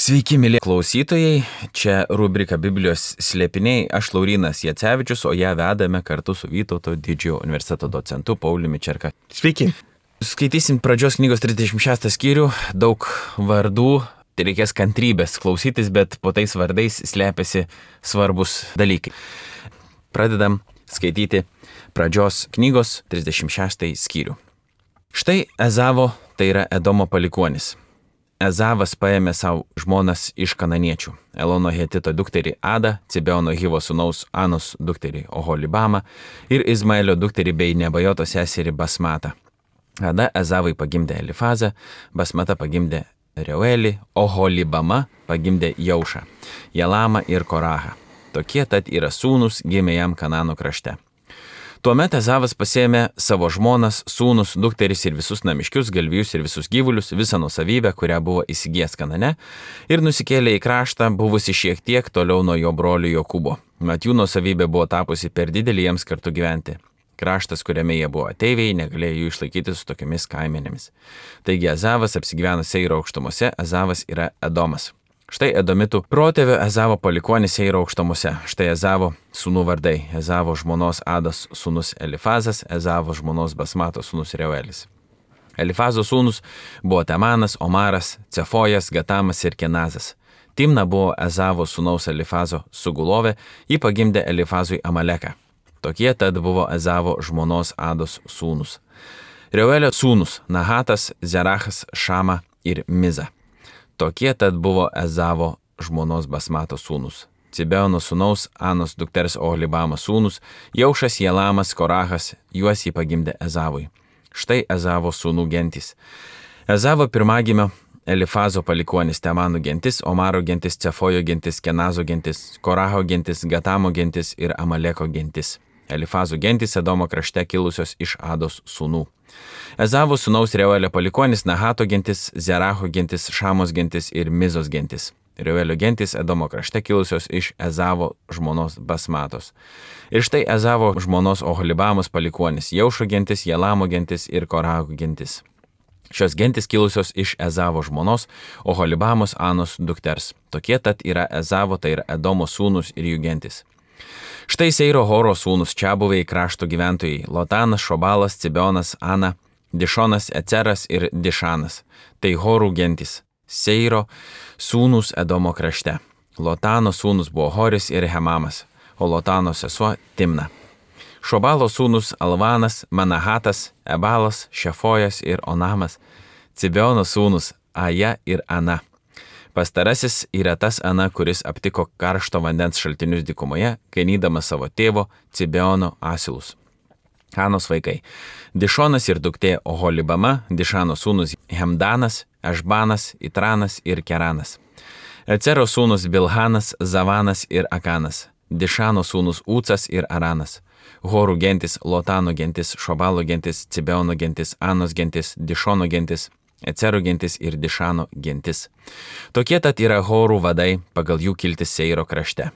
Sveiki, mėly klausytojai, čia rubrika Biblijos slėpiniai, aš Laurynas Jacevičius, o ją vedame kartu su Vytauto didžiojo universiteto docentu Pauliumi Čerka. Sveiki. Skaitysim pradžios knygos 36 skyrių, daug vardų, tai reikės kantrybės klausytis, bet po tais vardais slėpiasi svarbus dalykai. Pradedam skaityti pradžios knygos 36 skyrių. Štai Ezavo, tai yra Edomo palikuonis. Ezavas paėmė savo žmonas iš kananiečių, Elono Hetito dukterį Adą, Cibeono Hivo sūnaus Anos dukterį Oholibamą ir Izmaelio dukterį bei Nebajoto seserį Basmatą. Ada Ezavai pagimdė Elifazą, Basmata pagimdė Reuelį, Oholibama pagimdė Jaušą, Jalamą ir Korahą. Tokie tad yra sūnus gimė jam Kanano krašte. Tuomet Ezavas pasėmė savo žmonas, sūnus, dukteris ir visus namiškius, galvijus ir visus gyvulius, visą nuosavybę, kurią buvo įsigijęs Kanane, ir nusikėlė į kraštą, buvusi šiek tiek toliau nuo jo brolio Jokūbo. Mat jų nuosavybė buvo tapusi per didelį jiems kartu gyventi. Kraštas, kuriame jie buvo ateiviai, negalėjo jų išlaikyti su tokiamis kaimenėmis. Taigi Ezavas apsigyveno Seiro aukštumose, Ezavas yra Edomas. Štai Edomitų protėvio Ezavo palikuonis Seiro aukštumose. Štai Ezavo sūnų vardai. Ezavo žmonos Ados sūnus Elifazas, Ezavo žmonos Basmato sūnus Reuelis. Elifazo sūnus buvo Temanas, Omaras, Cefojas, Gatamas ir Kenazas. Timna buvo Ezavo sūnaus Elifazo sugulovė, ji pagimdė Elifazui Amaleką. Tokie tad buvo Ezavo žmonos Ados sūnus. Reuelio sūnus Nahatas, Zerachas, Šama ir Miza. Tokie tad buvo Ezavo žmonos Basmato sūnus. Cibeono sūnaus Anos dukters Oholibamo sūnus, Jaušas, Jalamas, Korahas, juos jį pagimdė Ezavui. Štai Ezavo sūnų gentys. Ezavo pirmagimio Elifazo palikuonis Temano gentis, Omaro gentis, Cefojo gentis, Kenazo gentis, Koraho gentis, Gatamo gentis ir Amaleko gentis. Elifazo gentis Edomo krašte kilusios iš Ados sūnų. Ezavo sūnaus Reuelio palikuonis Nahato gentis, Zeracho gentis, Šamos gentis ir Mizos gentis. Reuelio gentis Edomo krašte kilusios iš Ezavo žmonos Basmatos. Ir štai Ezavo žmonos Oholibamos palikuonis Jaušo gentis, Jalamo gentis ir Koraho gentis. Šios gentis kilusios iš Ezavo žmonos Oholibamos Anos dukters. Tokie tad yra Ezavo, tai yra Edomo sūnus ir jų gentis. Štai Seiro Horo sūnus čiabuviai krašto gyventojai Lotanas, Šobalas, Cibeonas, Ana, Dišonas, Eceras ir Dišanas. Tai Horų gentis. Seiro sūnus Edomo krašte. Lotano sūnus buvo Horis ir Hemamas, o Lotano sesuo Timna. Šobalo sūnus Alvanas, Manahatas, Ebalas, Šefojas ir Onamas. Cibeono sūnus Aja ir Ana. Pastarasis yra tas Ana, kuris aptiko karšto vandens šaltinius dykumoje, ganydamas savo tėvo Cibeono asilus. Anos vaikai. Dišonas ir duktė Oholibama, Dišano sūnus Hemdanas, Ešbanas, Itranas ir Keranas. Ecero sūnus Bilhanas, Zavanas ir Akanas. Dišano sūnus Ucas ir Aranas. Horų gentis, Lotano gentis, Šobalo gentis, Cibeono gentis, Anos gentis, Dišono gentis, Ecero gentis ir Dišano gentis. Tokie tad yra Horų vadai pagal jų kiltis Seiro krašte.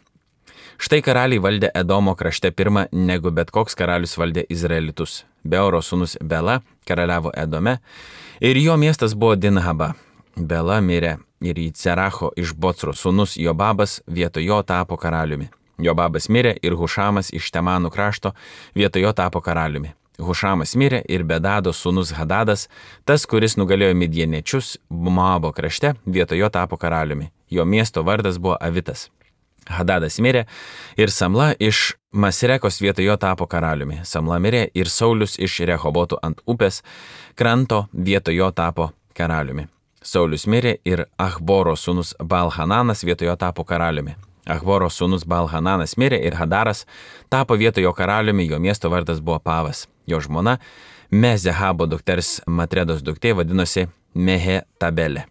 Štai karaliai valdė Edomo krašte pirmą, negu bet koks karalius valdė Izraelitus. Beoro sūnus Bela karaliavo Edome ir jo miestas buvo Dinhaba. Bela mirė ir Zeracho iš Bocro sūnus Jobabas vietoj jo tapo karaliumi. Jobabas mirė ir Hušamas iš Temanų krašto vietoj jo tapo karaliumi. Hušamas mirė ir Bedado sūnus Hadadas, tas, kuris nugalėjo midieniečius Moabo krašte, vietoj jo tapo karaliumi. Jo miesto vardas buvo Avitas. Hadadas mirė ir Samla iš Masrekos vietoj jo tapo karaliumi. Samla mirė ir Saulius iš Rehobotų ant upės kranto vietoj jo tapo karaliumi. Saulius mirė ir Achboro sūnus Balhananas vietoj jo tapo karaliumi. Achboro sūnus Balhananas mirė ir Hadaras tapo vietoj jo karaliumi, jo miesto vardas buvo Pavas. Jo žmona Mezehabo dukters Matredos duktė vadinosi Mehetabelė.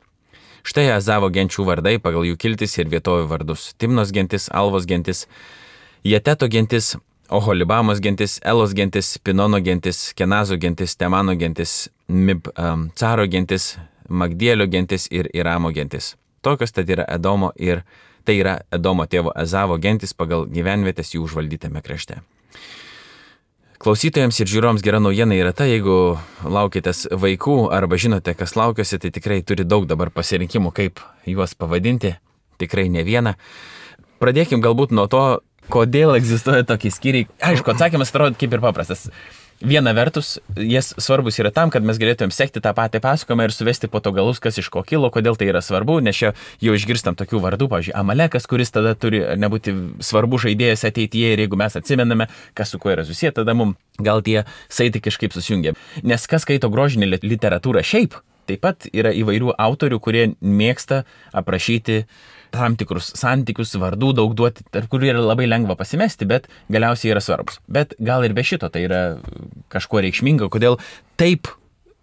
Štai Ezavo genčių vardai pagal jų kiltis ir vietovių vardus. Timnos gentis, Alvos gentis, Jeteto gentis, Oholibamos gentis, Elos gentis, Pinono gentis, Kenazo gentis, Temano gentis, Caro gentis, Magdielio gentis ir Iramo gentis. Tokios tad yra Edomo ir tai yra Edomo tėvo Ezavo gentis pagal gyvenvietės jų užvaldytame krašte. Klausytojams ir žiūrovams gera naujiena yra ta, jeigu laukitės vaikų arba žinote, kas laukiasi, tai tikrai turi daug dabar pasirinkimų, kaip juos pavadinti, tikrai ne vieną. Pradėkim galbūt nuo to, kodėl egzistuoja tokie skyriai. Aišku, atsakymas atrodo kaip ir paprastas. Viena vertus, jis svarbus yra tam, kad mes galėtumėm sekti tą patį pasakojimą ir suvesti po to galus, kas iš ko kilo, kodėl tai yra svarbu, nes čia jau išgirstam tokių vardų, pavyzdžiui, Amalekas, kuris tada turi nebūti svarbu žaidėjas ateityje ir jeigu mes atsimename, kas su kuo yra susiję, tada mums gal tie saitai kažkaip susijungia. Nes kas skaito grožinę literatūrą šiaip, taip pat yra įvairių autorių, kurie mėgsta aprašyti tam tikrus santykius, vardų daug duoti, tarp kurių yra labai lengva pasimesti, bet galiausiai yra svarbus. Bet gal ir be šito tai yra kažkuo reikšminga, kodėl taip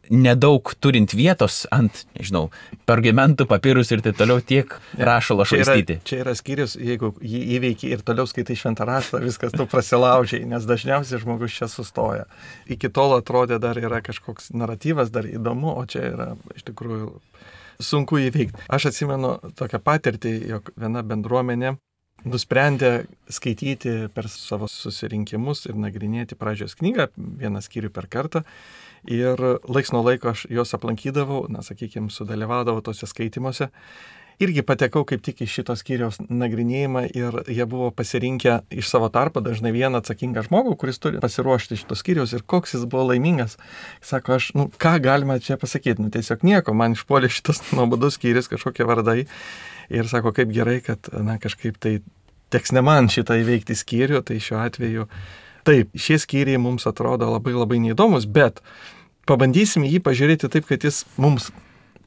nedaug turint vietos ant, nežinau, pergamentų, papirus ir taip toliau tiek rašalo švaistyti. Čia yra skyrius, jeigu jį įveiki ir toliau skaitai šventą raštą, viskas tu prasilaužiai, nes dažniausiai žmogus čia sustoja. Iki tol atrodė dar yra kažkoks naratyvas, dar įdomu, o čia yra iš tikrųjų sunku įveikti. Aš atsimenu tokią patirtį, jog viena bendruomenė nusprendė skaityti per savo susirinkimus ir nagrinėti pradžios knygą, vieną skyrių per kartą. Ir laiks nuo laiko aš juos aplankydavau, sakykime, sudalyvaudavau tose skaitimuose. Irgi patekau kaip tik į šito skyriaus nagrinėjimą ir jie buvo pasirinkę iš savo tarpo dažnai vieną atsakingą žmogų, kuris turi pasiruošti šito skyriaus ir koks jis buvo laimingas. Sako, aš, ką galima čia pasakyti, tiesiog nieko, man išpuolė šitas nuobodus skyrius, kažkokie vardai. Ir sako, kaip gerai, kad kažkaip tai teks ne man šitą įveikti skyrių, tai šiuo atveju taip, šie skyriai mums atrodo labai labai neįdomus, bet pabandysim jį pažiūrėti taip, kad jis mums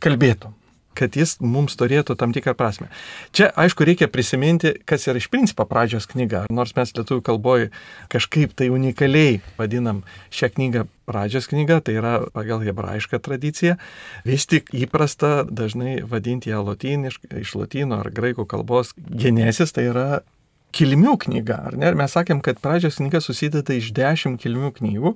kalbėtų, kad jis mums turėtų tam tikrą prasme. Čia, aišku, reikia prisiminti, kas yra iš principo pradžios knyga. Nors mes lietuvių kalboje kažkaip tai unikaliai vadinam šią knygą pradžios knyga, tai yra pagal hebrajišką tradiciją. Vis tik įprasta dažnai vadinti ją lotyniškai, iš lotynų ar graikų kalbos genesis, tai yra kilmių knyga, ar ne? Ir mes sakėm, kad pradžios knyga susideda iš 10 kilmių knygų.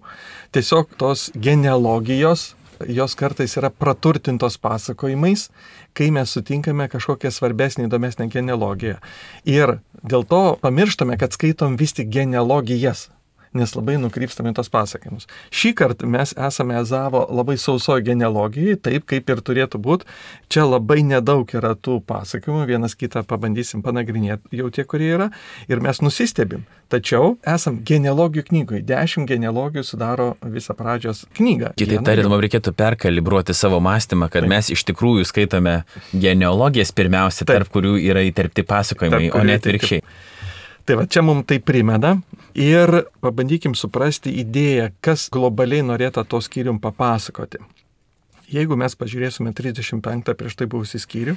Tiesiog tos genealogijos, jos kartais yra praturtintos pasakojimais, kai mes sutinkame kažkokią svarbesnį, įdomesnę genealogiją. Ir dėl to pamirštame, kad skaitom vis tik genealogijas, nes labai nukrypstame tos pasakojimus. Šį kartą mes esame Ezavo labai sausoje genealogijai, taip kaip ir turėtų būti. Čia labai nedaug yra tų pasakojimų, vienas kitą pabandysim panagrinėti jau tie, kurie yra, ir mes nusistebim. Tačiau esam genealogijų knygoje. 10 genealogijų sudaro visą pradžios knygą. Kitaip tariant, mums reikėtų perkalibruoti savo mąstymą, kad mes iš tikrųjų skaitome genealogijas pirmiausia, tarp kurių yra įterpti pasakojimai, o ne atvirkščiai. Tai va, čia mums tai primena ir pabandykim suprasti idėją, kas globaliai norėtų to skyrium papasakoti. Jeigu mes pažiūrėsime 35 prieš tai buvusį skyrių,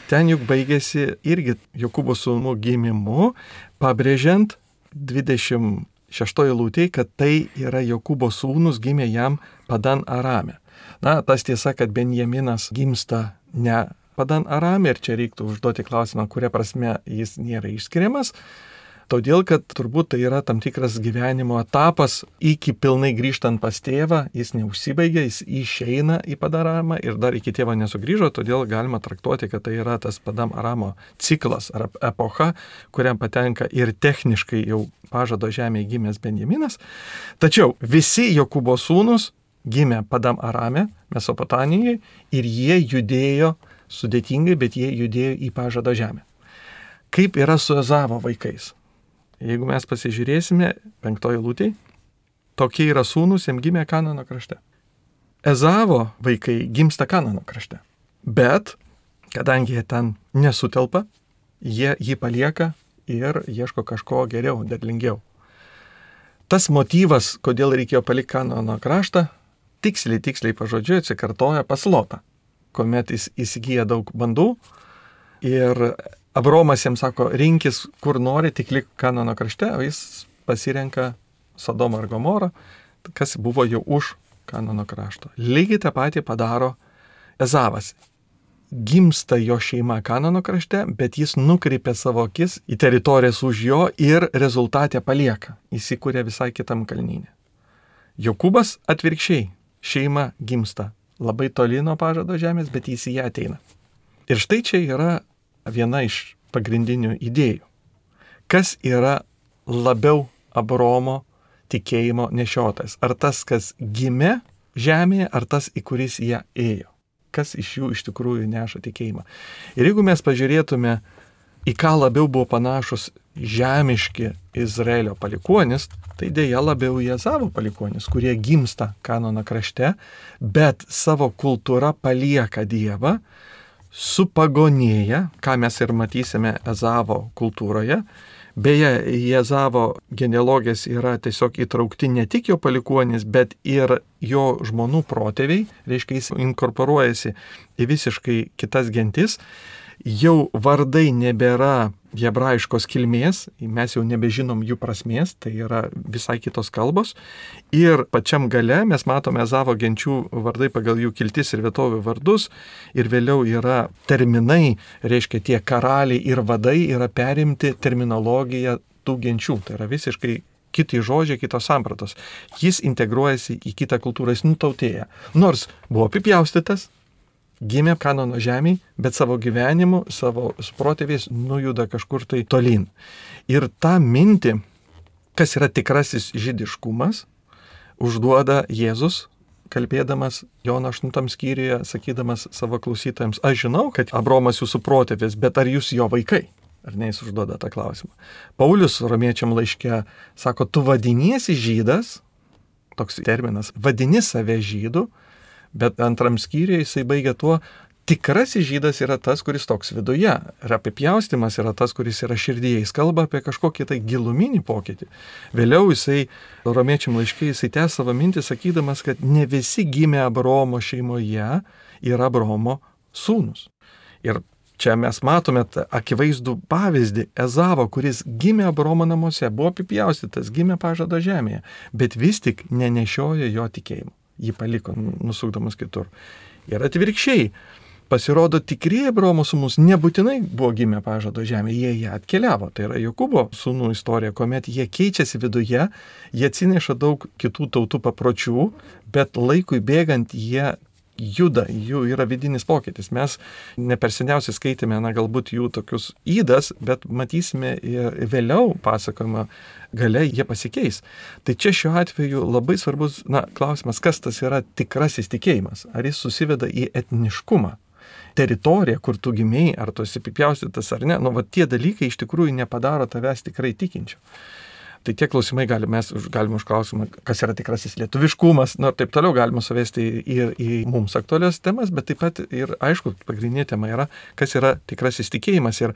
ten juk baigėsi irgi Jokūbo sūnų gimimu, pabrėžiant 26 eilutėje, kad tai yra Jokūbo sūnus gimė jam Padan Arame. Tas tiesa, kad Benjaminas gimsta ne Padan Arame ir čia reiktų užduoti klausimą, kuria prasme jis nėra išskiriamas. Todėl, kad turbūt tai yra tam tikras gyvenimo etapas, iki pilnai grįžtant pas tėvą, jis neužsibaigia, jis išeina į Padan Aramą ir dar iki tėvo nesugrįžo, todėl galima traktuoti, kad tai yra tas Padan Aramo ciklas ar epocha, kuriam patenka ir techniškai jau pažado žemėje gimęs Benjaminas. Tačiau visi Jokūbo sūnus gimė Padan Arame, Mesopotamijoje, ir jie judėjo sudėtingai, bet jie judėjo į pažado žemę. Kaip yra su Ezavo vaikais? Jeigu mes pasižiūrėsime 5 eilutėje, tokie yra sūnus, jam gimė Kanano krašte. Ezavo vaikai gimsta Kanano krašte. Bet, kadangi jie ten nesutelpa, jie jį palieka ir ieško kažko geriau, derlingiau. Tas motyvas, kodėl reikėjo palikti Kanano kraštą, tiksliai pažodžiui atsikartoja pas Lotą, kuomet jis įsigyja daug bandų ir Abromas jiems sako, rinkis kur nori, tik lik Kanano krašte, o jis pasirenka Sodomą ir Gomorą, kas buvo jau už Kanano krašto. Lygiai tą patį padaro Ezavas. Gimsta jo šeima Kanano krašte, bet jis nukreipia savo akis į teritorijas už jo ir rezultatę palieka. Įsikūrė visai kitam kalnyne. Jokūbas atvirkščiai. Šeima gimsta labai toli nuo pažado žemės, bet jis į ją ateina. Ir štai čia yra viena iš pagrindinių idėjų. Kas yra labiau Abraomo tikėjimo nešiotas? Ar tas, kas gimė žemėje, ar tas, į kuris ją ėjo? Kas iš jų iš tikrųjų neša tikėjimą? Ir jeigu mes pažiūrėtume, į ką labiau buvo panašus žemiški Izraelio palikuonis, tai dėja labiau į Ezavo palikuonis, kurie gimsta Kanaano krašte, bet savo kultūrą palieka Dievą, supagonėja, ką mes ir matysime Ezavo kultūroje. Beje, į Ezavo genealogijas yra tiesiog įtraukti ne tik jo palikuonis, bet ir jo žmonų protėviai, reiškia jis inkorporuojasi į visiškai kitas gentis. Jau vardai nebėra hebrajiškos kilmės, mes jau nebežinom jų prasmės, tai yra visai kitos kalbos. Ir pačiam gale mes matome Ezavo genčių vardai pagal jų kiltis ir vietovių vardus. Ir vėliau yra terminai, reiškia tie karaliai ir vadai yra perimti terminologiją tų genčių. Tai yra visiškai kiti žodžiai, kitos sampratos. Jis integruojasi į kitą kultūrą, jis nutautėja. Nors buvo apipjaustytas, gimė Kanaano žemėje, bet savo gyvenimu, savo protėviais nujuda kažkur tai tolyn. Ir tą mintį, kas yra tikrasis žydiškumas, užduoda Jėzus, kalbėdamas Jono 8 skyriuje, sakydamas savo klausytojams, aš žinau, kad Abraomas jūsų protėvis, bet ar jūs jo vaikai? Ar ne, jis užduoda tą klausimą. Paulius romiečiam laiške sako, tu vadiniesi žydas, toks terminas, vadini save žydu, bet antram skyriuje jisai baigia tuo, tikrasis žydas yra tas, kuris toks viduje. Ir apipjaustymas yra tas, kuris yra širdyje. Jis kalba apie kažkokį tai giluminį pokytį. Vėliau jisai, romiečiam laiškai, jisai tęs savo mintį, sakydamas, kad ne visi gimė Abraomo šeimoje yra Abraomo sūnus. Ir čia mes matome akivaizdų pavyzdį Ezavo, kuris gimė Abraomo namuose, buvo apipjaustytas, gimė pažado žemėje, bet vis tik nenešiojo jo tikėjimo. Jį paliko, nusukdamas kitur. Ir atvirkščiai, pasirodo, tikrieji Abraomo sūnūs nebūtinai buvo gimę pažado žemėje, jie atkeliavo. Tai yra Jokūbo sūnų istorija, kuomet jie keičiasi viduje, jie atsineša daug kitų tautų papročių, bet laikui bėgant jie juda, jų yra vidinis pokytis. Mes ne per seniausiai skaitėme, galbūt jų tokius įdas, bet matysime ir vėliau pasakojimą gale jie pasikeis. Tai čia šiuo atveju labai svarbus klausimas, kas tas yra tikrasis tikėjimas. Ar jis susiveda į etniškumą, teritoriją, kur tu gimėjai, ar tu esi apipjaustytas ar ne. Tie dalykai iš tikrųjų nepadaro tavęs tikrai tikinčiu. Tai tie klausimai mes galime užklausimą, kas yra tikrasis lietuviškumas, ir taip toliau galima suvesti ir į mums aktualias temas, bet taip pat ir, aišku, pagrindinė tema yra, kas yra tikrasis tikėjimas. Ir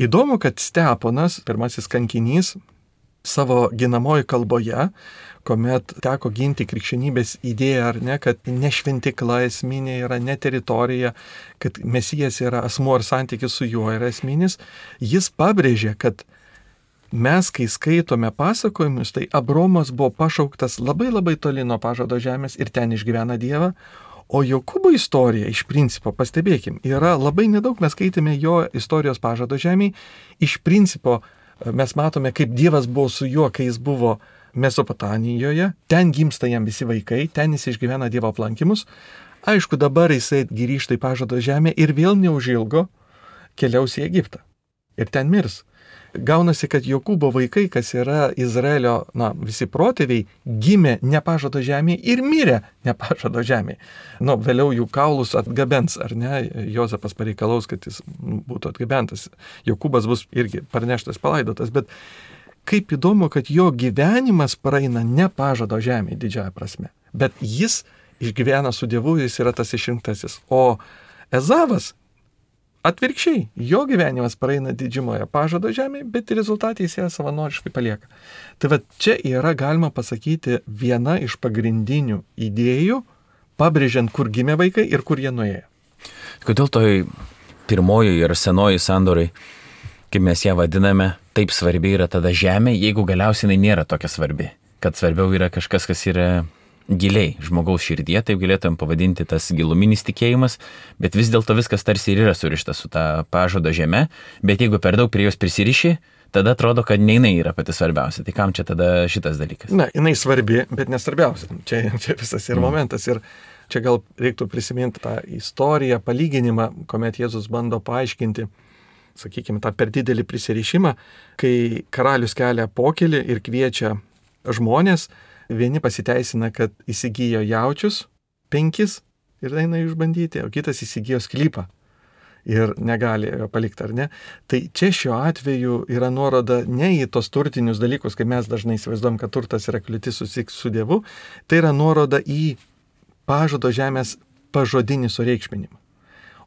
įdomu, kad Steponas, pirmasis kankinys, savo ginamoji kalboje, kuomet teko ginti krikščionybės idėją ar ne, kad ne šventikla esminė yra, ne teritorija, kad Mesijas yra asmuo ir santykis su juo yra esminis, jis pabrėžė, kad mes, kai skaitome pasakojimus, tai Abraomas buvo pašauktas labai labai toli nuo pažado žemės ir ten išgyvena Dievą, o Jokūbo istorija, iš principo, pastebėkim, yra labai nedaug, mes skaitėme jo istorijos pažado žemėje, iš principo mes matome, kaip Dievas buvo su juo, kai jis buvo Mesopotamijoje, ten gimsta jam visi vaikai, ten jis išgyvena Dievo aplankymus, aišku, dabar jisai grįžta į pažado žemę ir vėl neužilgo keliaus į Egiptą ir ten mirs. Gaunasi, kad Jokūbo vaikai, kas yra Izraelio, visi protėviai, gimė ne pažado žemėje ir mirė ne pažado žemėje. Vėliau jų kaulus atgabens, ar ne? Jozapas pareikalaus, kad jis būtų atgabentas. Jokūbas bus irgi parneštas, palaidotas, bet kaip įdomu, kad jo gyvenimas praeina ne pažado žemėje didžiąją prasme, bet jis išgyvena su Dievu, jis yra tas išrinktasis. O Ezavas atvirkščiai, jo gyvenimas praeina didžiumoje pažado žemėje, bet rezultatai jis ją savanoriškai palieka. Tai čia yra, galima pasakyti, viena iš pagrindinių idėjų, pabrėžiant, kur gimė vaikai ir kur jie nuėjo. Kodėl toj pirmoji ir senoji sandorai, kaip mes ją vadiname, taip svarbi yra tada žemė, jeigu galiausiai jinai nėra tokia svarbi, kad svarbiau yra kažkas, kas yra giliai žmogaus širdie, taip galėtum pavadinti tas giluminis tikėjimas, bet vis dėlto viskas tarsi ir yra surišta su ta pažado žeme, bet jeigu per daug prie jos prisiriši, tada atrodo, kad ne jinai yra pati svarbiausia. Tai kam čia tada šitas dalykas? Jinai svarbi, bet nesvarbiausia. Čia visas ir momentas. Ir čia gal reiktų prisiminti tą istoriją, palyginimą, kuomet Jėzus bando paaiškinti, sakykime, tą per didelį prisirišimą, kai karalius kelia pokylį ir kviečia žmonės, vieni pasiteisina, kad įsigijo jaučius 5 ir eina išbandyti, o kitas įsigijo sklypą ir negali jo palikti, ar ne? Tai čia šiuo atveju yra nuoroda ne į tos turtinius dalykus, kai mes dažnai įsivaizduojam, kad turtas yra kliūtis susitikti su Dievu, tai yra nuoroda į pažado žemės pažodinį sureikšminimą.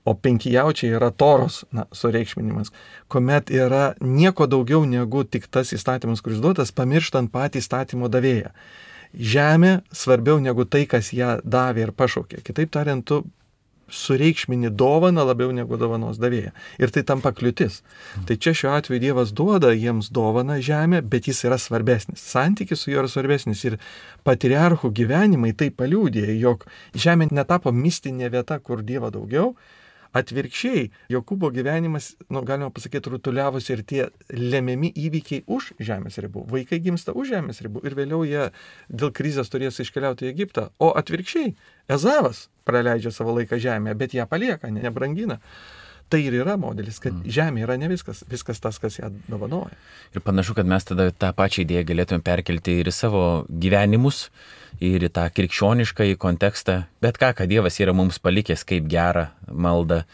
O 5 jaučiai yra Toros sureikšminimas, kuomet yra nieko daugiau negu tik tas įstatymas, kuris duotas, pamirštant patį įstatymo davėją. Žemė svarbiau negu tai, kas ją davė ir pašaukė. Kitaip tariant, tu sureikšmini dovaną labiau negu dovanos davėją. Ir tai tampa kliūtis. Tai čia šiuo atveju Dievas duoda jiems dovaną žemę, bet jis yra svarbesnis. Santykis su juo yra svarbesnis. Ir patriarchų gyvenimai tai paliudė, jog žemė netapo mistinė vieta, kur Dievo daugiau. Atvirkščiai, Jokūbo gyvenimas, galima pasakyti, rutuliavosi ir tie lemiami įvykiai už žemės ribų. Vaikai gimsta už žemės ribų ir vėliau jie dėl krizės turės iškeliauti į Egiptą. O atvirkščiai, Ezavas praleidžia savo laiką žemėje, bet ją palieka, nebrangina. Tai ir yra modelis, kad žemė yra ne viskas, viskas tas, kas ją dovanoja. Ir panašu, kad mes tada tą pačią idėją galėtume perkelti ir į savo gyvenimus, ir į tą krikščionišką kontekstą. Bet ką Dievas yra mums palikęs kaip gerą maldą,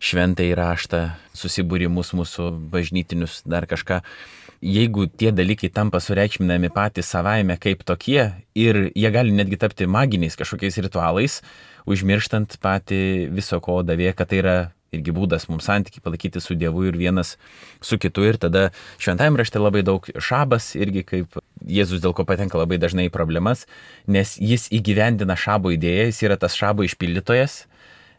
šventąjį raštą, susibūrimus mūsų bažnytinius, dar kažką. Jeigu tie dalykai tampa sureikšminami patys savaime kaip tokie ir jie gali netgi tapti maginiais kažkokiais ritualais, užmirštant patį viso ko davė, kad tai yra irgi būdas mums santykiai palaikyti su Dievu ir vienas su kitu. Ir tada šventajame rašte labai daug šabas, irgi kaip Jėzus dėl ko patenka labai dažnai į problemas, nes jis įgyvendina šabo idėją, jis yra tas šabo išpildytojas,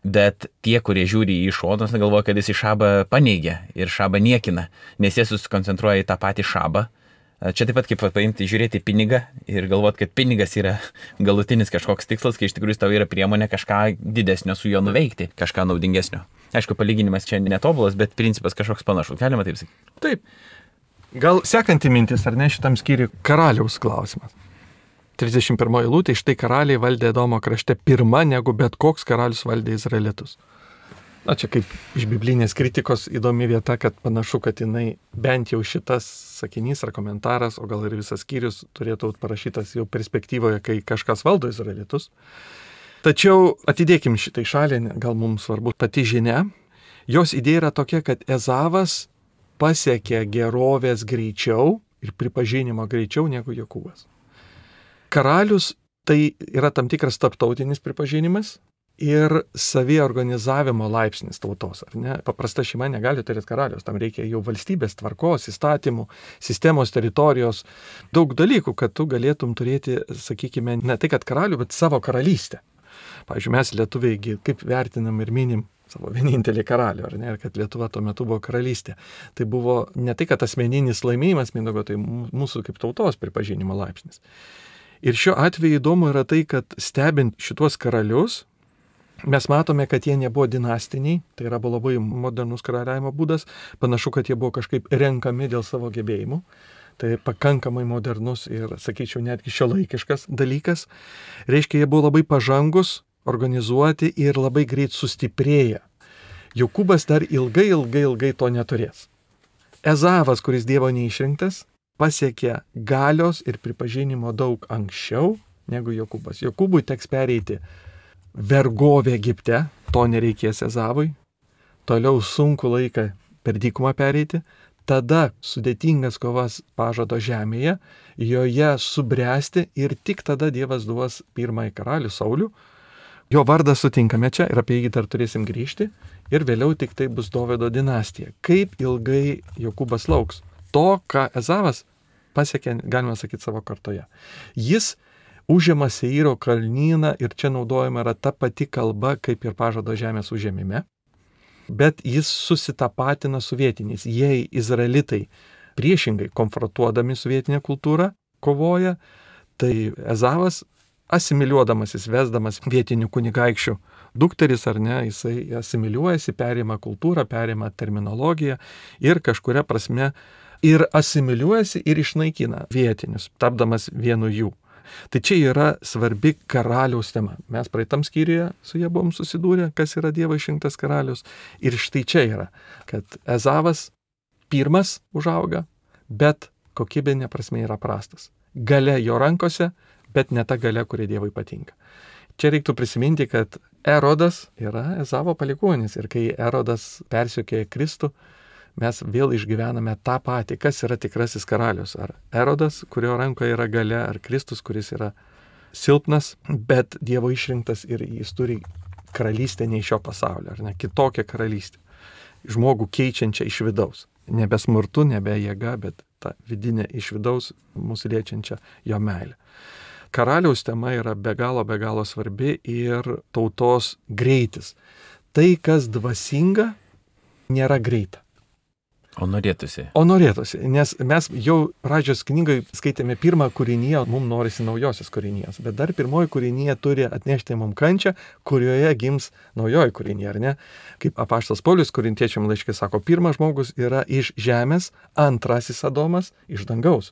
bet tie, kurie žiūri į šonus, galvoja, kad jis į šabą paneigia ir šabą niekina, nes jie susikoncentruoja į tą patį šabą. Čia taip pat kaip paimti, žiūrėti pinigą ir galvoti, kad pinigas yra galutinis kažkoks tikslas, kai iš tikrųjų tau yra priemonė kažką didesnio su juo nuveikti, kažką naudingesnio. Aišku, palyginimas čia netobulas, bet principas kažkoks panašus. Galima taip sakyti? Taip. Gal sekanti mintis, ar ne, šitam skyriui karaliaus klausimas. 31 eilutė, štai karaliai valdė Edomo krašte pirma, negu bet koks karalius valdė Izraelitus. Na, čia kaip iš biblinės kritikos įdomi vieta, kad panašu, kad jinai bent jau šitas sakinys ar komentaras, o gal ir visas skyrius turėtų būti parašytas jau perspektyvoje, kai kažkas valdo Izraelitus. Tačiau atidėkim šitai šalį, gal mums svarbu pati žinia. Jos idėja yra tokia, kad Ezavas pasiekė gerovės greičiau ir pripažinimo greičiau negu Jokūbas. Karalius tai yra tam tikras tarptautinis pripažinimas ir saviorganizavimo laipsnis tautos, ar ne? Paprasta šeima negali turėti karalius, tam reikia jau valstybės tvarkos, įstatymų, sistemos, teritorijos, daug dalykų, kad tu galėtum turėti, sakykime, ne tai kad karalių, bet savo karalystę. Pavyzdžiui, mes lietuviai kaip vertinam ir minim savo vienintelį karalių, ar ne, ir kad Lietuva tuo metu buvo karalystė. Tai buvo ne tai, kad asmeninis laimėjimas Mindaugo, tai mūsų kaip tautos pripažinimo laipsnis. Ir šiuo atveju įdomu yra tai, kad stebint šitos karalius, mes matome, kad jie nebuvo dinastiniai, tai yra buvo labai modernus karaliavimo būdas, panašu, kad jie buvo kažkaip renkami dėl savo gebėjimų, tai pakankamai modernus ir, sakyčiau, netgi šiuolaikiškas dalykas. Reiškia, jie buvo labai pažangus, organizuoti ir labai greit sustiprėję. Jokūbas dar ilgai to neturės. Ezavas, kuris Dievo neišrinktas, pasiekė galios ir pripažinimo daug anksčiau negu Jokūbas. Jokūbui teks pereiti vergovę Egipte, to nereikės Ezavui, toliau sunku laiką per dykumą pereiti, tada sudėtingas kovas pažado žemėje, joje subręsti ir tik tada Dievas duos pirmąjį karalių Saulių. Jo vardą sutinkame čia ir apie jį dar turėsim grįžti ir vėliau tik tai bus Dovydo dinastija. Kaip ilgai Jokūbas lauks to, ką Ezavas pasiekė, galima sakyti, savo kartoje. Jis užima Seiro kalnyną ir čia naudojama yra ta pati kalba, kaip ir pažado žemės užėmime, bet jis susitapatina su vietiniais. Jei izraelitai priešingai konfrontuodami su vietinė kultūra kovoja, tai Ezavas asimiliuodamasis, vesdamas vietinių kunigaikščių dukteris ar ne, jisai asimiliuojasi, perima kultūrą, perima terminologiją ir kažkuria prasme ir asimiliuojasi ir išnaikina vietinius, tapdamas vienu jų. Tai čia yra svarbi karaliaus tema. Mes praeitam skyriuje su jie buvom susidūrę, kas yra Dievo išrinktas karalius. Ir štai čia yra, kad Ezavas pirmas užauga, bet kokybinė prasme yra prastas. galia jo rankose, bet ne ta galia, kuri Dievui patinka. Čia reiktų prisiminti, kad Erodas yra Ezavo palikuonis ir kai Erodas persiekė Kristų, mes vėl išgyvename tą patį, kas yra tikrasis karalius. Ar Erodas, kurio rankoje yra galia, ar Kristus, kuris yra silpnas, bet Dievo išrinktas ir jis turi karalystę ne iš šio pasaulio, ar ne, kitokią karalystę. Žmogų keičiančią iš vidaus. Nebe smurtu, nebe jėga, bet ta vidinė iš vidaus mūsų liečiančią jo meilę. Karaliaus tema yra be galo svarbi ir tautos greitis. Tai, kas dvasinga, nėra greita. O norėtųsi, nes mes jau pradžios knygai skaitėme pirmą kūrinyje, mums norisi naujosios kūrinijos, bet dar pirmoji kūrinija turi atnešti mums kančią, kurioje gims naujoji kūrinija, ar ne? Kaip apaštalas Paulius Korintiečiam laiške sako, pirmas žmogus yra iš žemės, antrasis Adomas iš dangaus.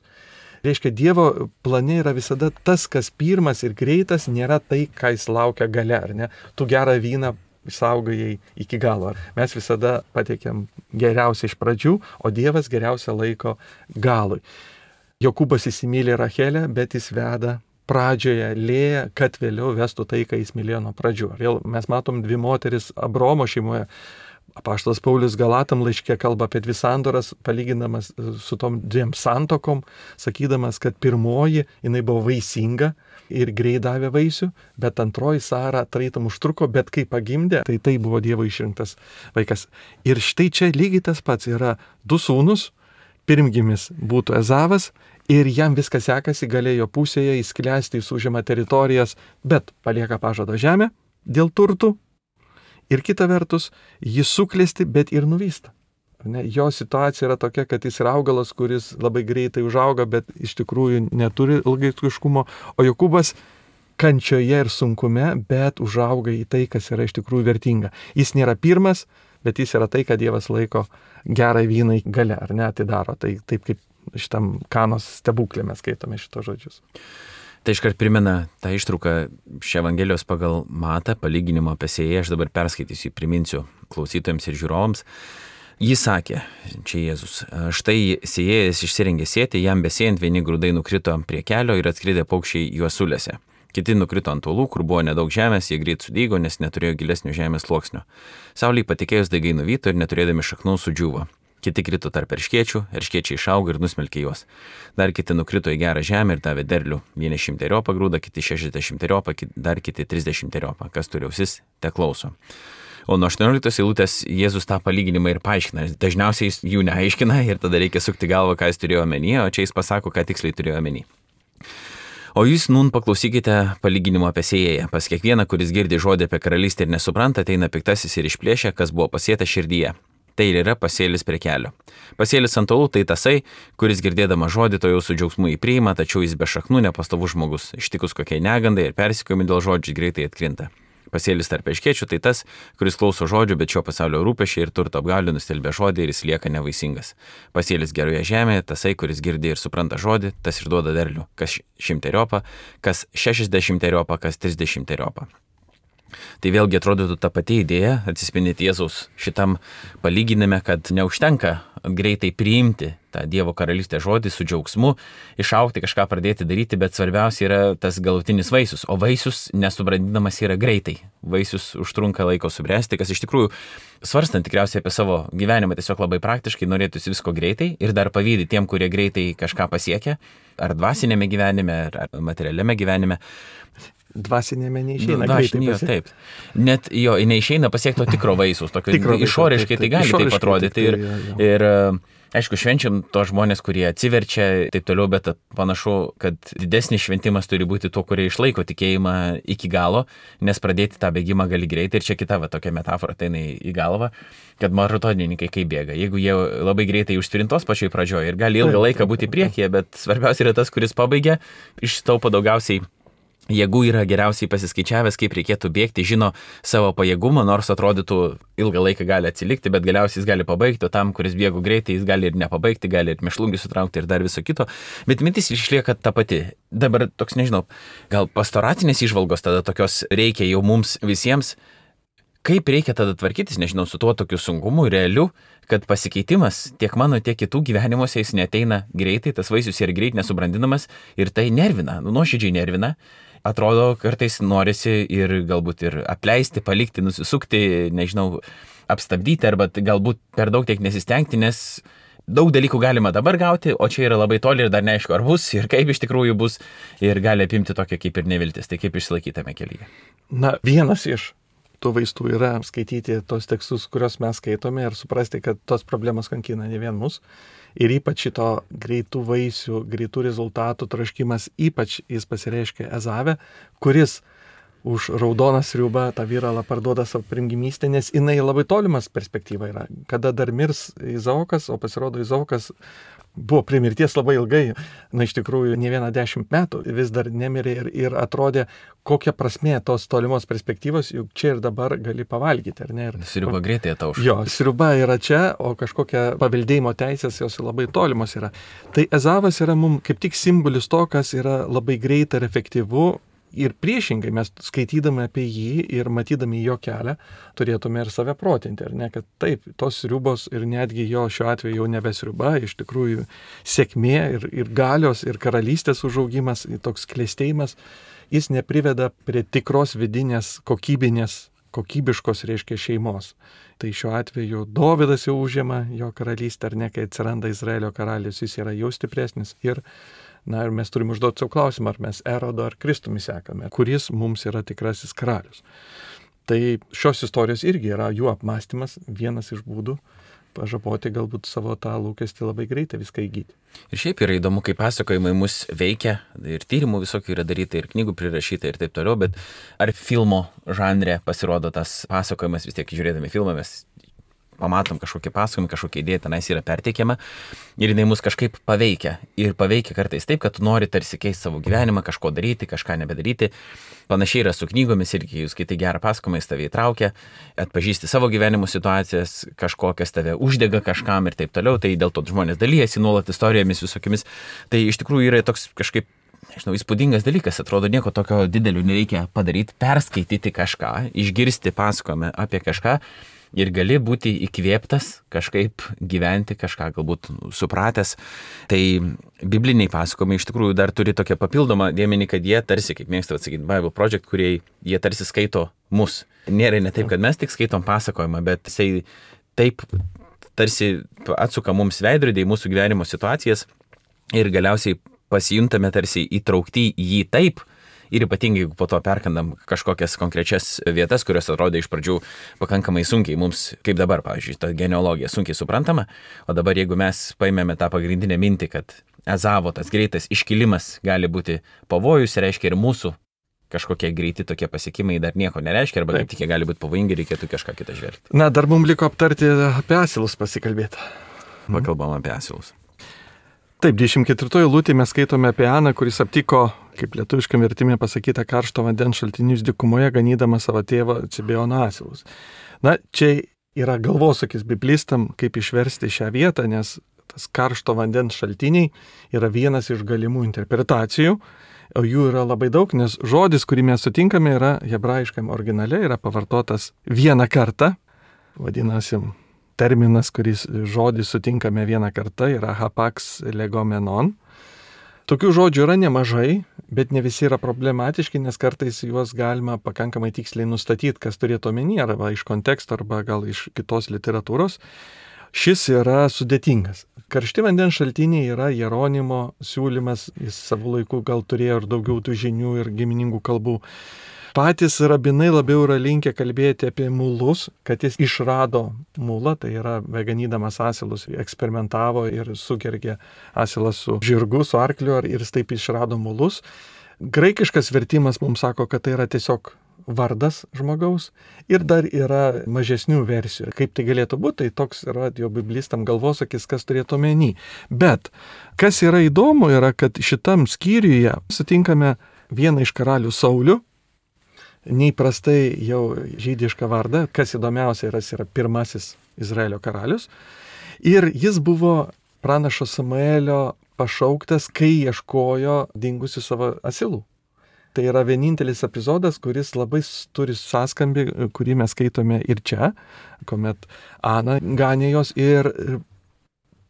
Reiškia, Dievo plane yra visada tas, kas pirmas ir greitas, nėra tai, ką jis laukia gale, ar ne? Tu gerą vyną išsaugojai iki galo. Mes visada pateikiam geriausią iš pradžių, o Dievas geriausią laiko galui. Jokūbas įsimylė Rachelę, bet jis veda pradžioje Lėją, kad vėliau vestų tai, ką jis mylėjo nuo pradžių. Vėl mes matom dvi moteris Abraomo šeimoje. Apaštalas Paulius Galatam laiške kalba apie dvi sandoras, palyginamas su tom dviem santokom, sakydamas, kad pirmoji jinai buvo vaisinga ir greit davė vaisių, bet antroji Sara tarytum užtruko, bet kai pagimdė, tai buvo Dievo išrinktas vaikas. Ir štai čia lygiai tas pats yra du sūnus, pirmgimis būtų Ezavas ir jam viskas sekasi, galėjo pusėje įsklęsti, jis užima teritorijas, bet palieka pažado žemę dėl turtų. Ir kita vertus, jis suklesti, bet ir nuvysta. Jo situacija yra tokia, kad jis yra augalas, kuris labai greitai užauga, bet iš tikrųjų neturi ilgaikiškumo, o Jokūbas kančioje ir sunkume, bet užauga į tai, kas yra iš tikrųjų vertinga. Jis nėra pirmas, bet jis yra tai, kad Dievas laiko gerai vynai gale, ar ne, atidaro. Tai taip kaip šitam Kanos stebuklė mes skaitome šitos žodžius. Tai iškart primena tą ištrauką iš Evangelijos pagal Matą, palyginimo apie sėją, aš dabar perskaitysiu, priminsiu klausytojams ir žiūrovams. Jis sakė, čia Jėzus, štai sėjėjas išsirengė sėti, jam besėjant vieni grūdai nukrito prie kelio ir atskridė paukščiai juos sulėse. Kiti nukrito ant uolų, kur buvo nedaug žemės, jie greit sudygo, nes neturėjo gilesnio žemės sluoksnio. Saulei patekėjus daigai nuvyto ir neturėdami šaknų sudžiūvo. Kiti krito tarp erškėčių, erškėčiai išaugo ir nusmelkė juos. Dar kiti nukrito į gerą žemę ir davė derlių. Vieni 100 grūdą, kiti 60, dar kiti 30. Kas turi ausis, te klauso. O nuo 18 eilutės Jėzus tą palyginimą ir paaiškina. Dažniausiai jis jų neaiškina ir tada reikia sukti galvą, ką jis turėjo omenyje, o čia jis pasako, ką tiksliai turėjo omenyje. O jūs nun paklausykite palyginimo apie sėjėją. Pas kiekvieną, kuris girdi žodį apie karalystę ir nesupranta, ateina piktasis ir išplėšia, kas buvo pasėta širdyje. Tai ir yra pasėlis prie kelio. Pasėlis ant uolų tai tasai, kuris girdėdama žodį to jau su džiaugsmu įpriima, tačiau jis be šaknų nepastovus žmogus. Ištikus kokiai negandai ir persekiojimai dėl žodžių greitai atkrinta. Pasėlis tarp erškėčių tai tas, kuris klauso žodžių, bet šio pasaulio rūpesčiai ir turto apgaulė nustelbia žodį ir jis lieka nevaisingas. Pasėlis geroje žemėje, tasai, kuris girdi ir supranta žodį, tas ir duoda derlių, kas 100, kas 60, kas 30. Tai vėlgi atrodytų ta pati idėja, atsispindėti Jėzaus šitam palyginime, kad neužtenka greitai priimti tą Dievo karalystės žodį su džiaugsmu, išaugti, kažką pradėti daryti, bet svarbiausia yra tas galutinis vaisius, o vaisius nesubrandinamas yra greitai. Vaisius užtrunka laiko subręsti, kas iš tikrųjų, svarstant tikriausiai apie savo gyvenimą, tiesiog labai praktiškai norėtųsi visko greitai ir dar pavydi tiem, kurie greitai kažką pasiekia, ar dvasinėme gyvenime, ar materialiame gyvenime. Dvasinėme neišeina greitai pasiekti. Taip. Net jo, neišeina pasiekti to tikro vaisiaus, išoriškai tai gali taip atrodyti. Ir aišku, švenčiam to žmonės, kurie atsiverčia, taip toliau, bet panašu, kad didesnis šventimas turi būti to, kurie išlaiko tikėjimą iki galo, nes pradėti tą bėgimą gali greitai. Ir čia kita tokia metafora ateina į galvą, kad maratonininkai kaip bėga. Jeigu jie labai greitai užsprintos pačioj pradžioje ir gali ilgą laiką būti priekyje, bet svarbiausia yra tas, kuris pabaigia, ištaupo daugiausiai jėgų, yra geriausiai pasiskaičiavęs, kaip reikėtų bėgti, žino savo pajėgumą, nors atrodytų ilgą laiką gali atsilikti, bet galiausiai jis gali pabaigti, o tam, kuris bėgo greitai, jis gali ir nepabaigti, gali ir mėšlungį sutraukti ir dar viso kito, bet mintis išlieka ta pati. Dabar toks, nežinau, gal pastoracinės įžvalgos tada tokios reikia jau mums visiems, Kaip reikia tada tvarkytis, nežinau, su tuo tokiu sunkumu, realiu, kad pasikeitimas tiek mano, tiek kitų gyvenimuose jis neteina greitai, tas vaisius yra greit nesubrandinamas ir tai nervina, nuoširdžiai nervina. Atrodo, kartais norisi ir galbūt ir apleisti, palikti, nusisukti, nežinau, apstabdyti arba galbūt per daug tiek nesistengti, nes daug dalykų galima dabar gauti, o čia yra labai toli ir dar neaišku, ar bus ir kaip iš tikrųjų bus ir gali apimti tokia kaip ir neviltis. Tai kaip išsilaikytame kelyje? Na, vienas iš tų vaistų yra skaityti tos tekstus, kuriuos mes skaitome ir suprasti, kad tos problemos kankina ne vien mus. Ir ypač šito greitų vaisių, greitų rezultatų troškimas, ypač jis pasireiškia Ezave, kuris už raudoną sriubą tą viralą parduoda savo primgimystę, nes jinai labai tolimas perspektyva yra. Kada dar mirs Izaokas, o pasirodo Izaokas buvo prie mirties labai ilgai, iš tikrųjų ne vieną 10 metų, vis dar nemirė ir atrodė, kokia prasmė tos tolimos perspektyvos, juk čia ir dabar gali pavalgyti, ar ne? Sriuba greitai atauš. Jo, sriuba yra čia, o kažkokia paveldėjimo teisės jos labai tolimos yra. Tai Ezavas yra mums kaip tik simbolis to, kas yra labai greita ir efektyvu. Ir priešingai mes skaitydami apie jį ir matydami jo kelią turėtume ir save protinti, ar ne, kad taip, tos sriubos ir netgi jo šiuo atveju jau nebe sriuba, iš tikrųjų sėkmė ir galios ir karalystės užaugimas, toks klestėjimas, jis nepriveda prie tikros vidinės kokybiškos, reiškia, šeimos. Tai šiuo atveju Dovydas jau užima jo karalystę, ar ne, kai atsiranda Izraelio karalius, jis yra jau stipresnis ir mes turime užduoti savo klausimą, ar mes Erodo ar Kristumi sekame, kuris mums yra tikrasis karalius. Tai šios istorijos irgi yra jų apmąstymas, vienas iš būdų pažaboti galbūt savo tą lūkestį labai greitai viską įgyti. Ir šiaip yra įdomu, kaip pasakojimai mus veikia, ir tyrimų visokių yra daryta, ir knygų prirašyta ir taip toliau, bet ar filmo žanre pasirodo tas pasakojimas, vis tiek žiūrėdami filmą mes pamatom kažkokią pasakojimą, kažkokią idėją tenais yra perteikiama ir jinai mus kažkaip paveikia. Ir paveikia kartais taip, kad tu nori tarsi keisti savo gyvenimą, kažko daryti, kažką nebedaryti. Panašiai yra su knygomis irgi, jūs skaitai gerą pasakojimą, jis tave įtraukia, atpažįsti savo gyvenimo situacijas, kažkokias tave uždega kažkam ir taip toliau. Tai dėl to žmonės dalyjasi nuolat istorijomis visokiamis. Tai iš tikrųjų yra toks kažkaip, nežinau, įspūdingas dalykas. Atrodo, nieko tokio didelio nereikia padaryti, perskaityti kažką, išgirsti pasakojimą apie kažką. Ir gali būti įkvėptas kažkaip gyventi, kažką galbūt supratęs. Tai bibliniai pasakojimai iš tikrųjų dar turi tokią papildomą dėmenį, kad jie tarsi, kaip mėgsta atsakyti Bible Project, kurie jie tarsi skaito mus. Nėra ne taip, kad mes tik skaitom pasakojimą, bet jisai taip tarsi atsuka mums veidrodį į mūsų gyvenimo situacijas ir galiausiai pasijuntame tarsi įtraukti į jį taip. Ir ypatingai, jeigu po to perkandam kažkokias konkrečias vietas, kurios atrodė iš pradžių pakankamai sunkiai mums, kaip dabar, pavyzdžiui, ta genealogija sunkiai suprantama, o dabar jeigu mes paimėme tą pagrindinę mintį, kad Ezavo tas greitas iškilimas gali būti pavojus, reiškia ir mūsų kažkokie greiti tokie pasiekimai dar nieko nereiškia, arba kaip tik jie gali būti pavojingi, reikėtų kažką kitą žvelgti. Na, dar mums liko aptarti apie asilus pasikalbėti. Pakalbam apie asilus. Taip, 24 eilutėje mes skaitome apie Aną, kuris aptiko, kaip lietuviškam vertime pasakyta, karšto vandens šaltinius dykumoje, ganydama savo tėvą Cibeono asilus. Na, čia yra galvosūkis biblistam, kaip išversti šią vietą, nes tas karšto vandens šaltiniai yra vienas iš galimų interpretacijų, o jų yra labai daug, nes žodis, kurį mes sutinkame, yra hebrajiškam originale, yra pavartotas vieną kartą, vadinasi, terminas, kuris žodį sutinkame vieną kartą, yra hapax legomenon. Tokių žodžių yra nemažai, bet ne visi yra problematiški, nes kartais juos galima pakankamai tiksliai nustatyti, kas turėtų omeny, arba iš konteksto, arba gal iš kitos literatūros. Šis yra sudėtingas. Karšti vandens šaltiniai yra Jeronimo siūlymas, jis savo laiku gal turėjo ir daugiau tų žinių ir giminingų kalbų. Patys rabinai labiau yra linkę kalbėti apie mulus, kad jis išrado mulą, tai yra ganydamas asilus, eksperimentavo ir sugergė asilą su žirgu, su arkliu ir jis taip išrado mulus. Graikiškas vertimas mums sako, kad tai yra tiesiog vardas žmogaus ir dar yra mažesnių versijų. Kaip tai galėtų būti, tai toks yra jo biblistam galvosakis, kas turėtų omeny. Bet kas yra įdomu yra, kad šitam skyriuje sutinkame vieną iš karalių Saulių, neįprastai jau žydišką vardą, kas įdomiausia yra, jis yra pirmasis Izraelio karalius. Ir jis buvo pranašo Samuelio pašauktas, kai ieškojo dingusių savo asilų. Tai yra vienintelis epizodas, kuris labai turi sąskambį, kurį mes skaitome ir čia, kuomet Ana ganė jos ir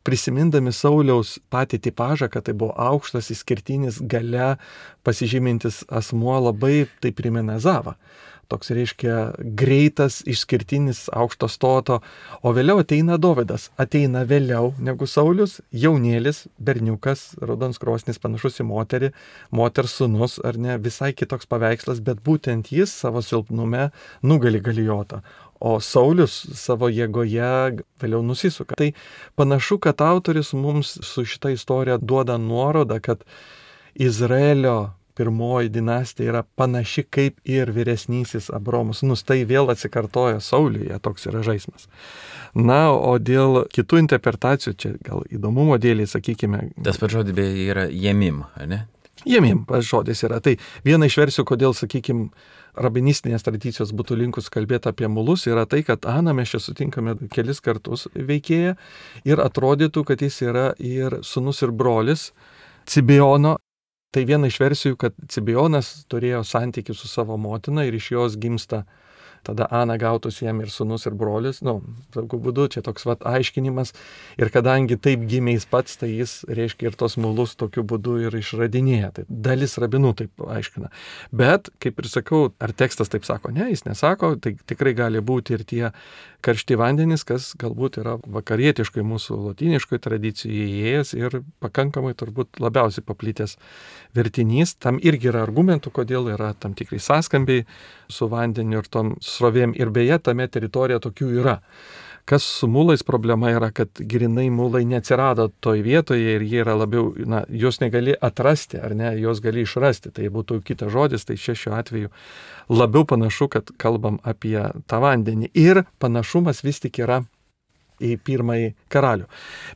prisimindami Sauliaus patį tipažą, kad tai buvo aukštas, išskirtinis, gale pasižymintis asmuo, labai tai primena Ezavą. Toks reiškia greitas, išskirtinis, aukšto stoto, o vėliau ateina Dovydas, ateina vėliau negu Saulius, jaunėlis, berniukas, raudonskrosnis, panašus į moterį, moters sūnus, ar ne, visai kitoks paveikslas, bet būtent jis savo silpnume nugali Galijotą, o Saulius savo jėgoje vėliau nusisuka. Tai panašu, kad autorius mums su šita istorija duoda nuorodą, kad Izraelio pirmoji dinastija yra panaši kaip ir vyresnysis Abraomo sūnus. Tai vėl atsikartoja Sauliuje, toks yra žaismas. Na, o dėl kitų interpretacijų, čia gal įdomumo dėliai, sakykime. Tas pats žodis beje yra jemim, ar ne? Jemim pats žodis yra. Tai viena iš versijų, kodėl, sakykime, rabinistinės tradicijos būtų linkus kalbėti apie mulus, yra tai, kad Aną mes čia sutinkame kelis kartus veikėją ir atrodytų, kad jis yra ir sūnus ir brolis Cibeono. Tai viena iš versijų, kad Cibeonas turėjo santykių su savo motina ir iš jos gimsta tada Ana gautus jam ir sūnus ir brolis, tokiu būdu čia toks aiškinimas. Ir kadangi taip gimė jis pats, tai jis reiškia ir tos mulus tokiu būdu ir išradinėja. Tai dalis rabinų taip aiškina. Bet, kaip ir sakau, ar tekstas taip sako? Ne, jis nesako, tai tikrai gali būti ir tie karšti vandenys, kas galbūt yra vakarietiškai mūsų lotyniškai tradicijai įėjęs ir pakankamai turbūt labiausiai paplitęs vertinys. Tam irgi yra argumentų, kodėl yra tam tikrai sąskambiai su vandeniu ir tom srovėm. Ir beje, tame teritorija tokių yra. Kas su mulais problema yra, kad grinai mulai neatsirado toj vietoje ir jie yra labiau, jos negali atrasti, ar ne, jos gali išrasti. Tai būtų kitas žodis, tai šiuo atveju labiau panašu, kad kalbam apie tą vandenį. Ir panašumas vis tik yra į pirmąjį karalių.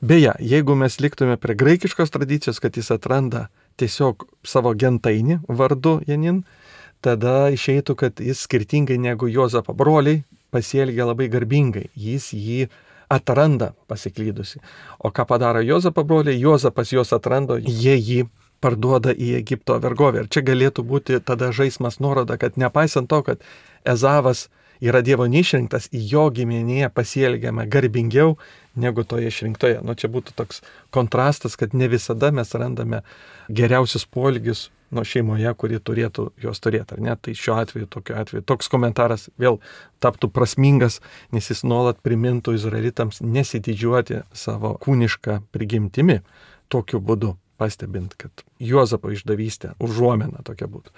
Beje, jeigu mes liktume prie graikiškos tradicijos, kad jis atranda tiesiog savo gentainį vardu Janin, tada išeitų, kad jis skirtingai negu Juozapo broliai pasielgia labai garbingai. Jis jį atranda pasiklydusi. O ką padaro Juozapo broliai? Juozapas juos atrando, jie jį parduoda į Egipto vergovę. Ir čia galėtų būti tada žaismas nuoroda, kad nepaisant to, kad Ezavas yra Dievo neišrinktas, į jo giminėje pasielgiame garbingiau negu toje išrinktoje. Čia būtų toks kontrastas, kad ne visada mes randame geriausius poelgius šeimoje, kuri turėtų juos turėti, ar ne? Tai šiuo atveju, tokiu atveju, toks komentaras vėl taptų prasmingas, nes jis nuolat primintų izraelitams nesididžiuoti savo kūnišką prigimtimi tokiu būdu, pastebint, kad Juozapo išdavystė užuomina tokia būtų.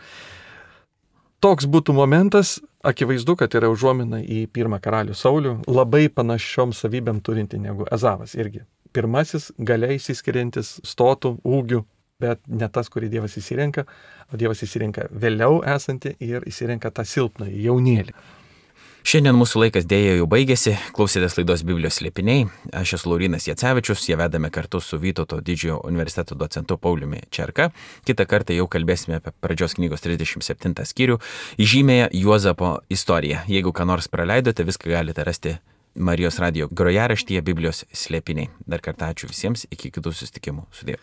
Toks būtų momentas, akivaizdu, kad yra užuomina į pirmą karalių Saulių, labai panašiom savybėm turinti negu Ezavas irgi. Pirmasis galiai išsiskiriantis stotų, ūgių, bet ne tas, kurį Dievas įsirenka, o Dievas įsirenka vėliau esantį ir įsirenka tą silpną jaunėlį. Šiandien mūsų laikas dėja jau baigėsi, klausėtės laidos Biblijos slėpiniai. Aš esu Laurynas Jacevičius, ją vedame kartu su Vytauto didžiojo universiteto docentu Pauliumi Čerka. Kitą kartą jau kalbėsime apie pradžios knygos 37 skyrių, įžymėją Juozapo istoriją. Jeigu ką nors praleidote, viską galite rasti Marijos radijo grojaraštyje Biblijos slėpiniai. Dar kartą ačiū visiems, iki kitų susitikimų. Sudie.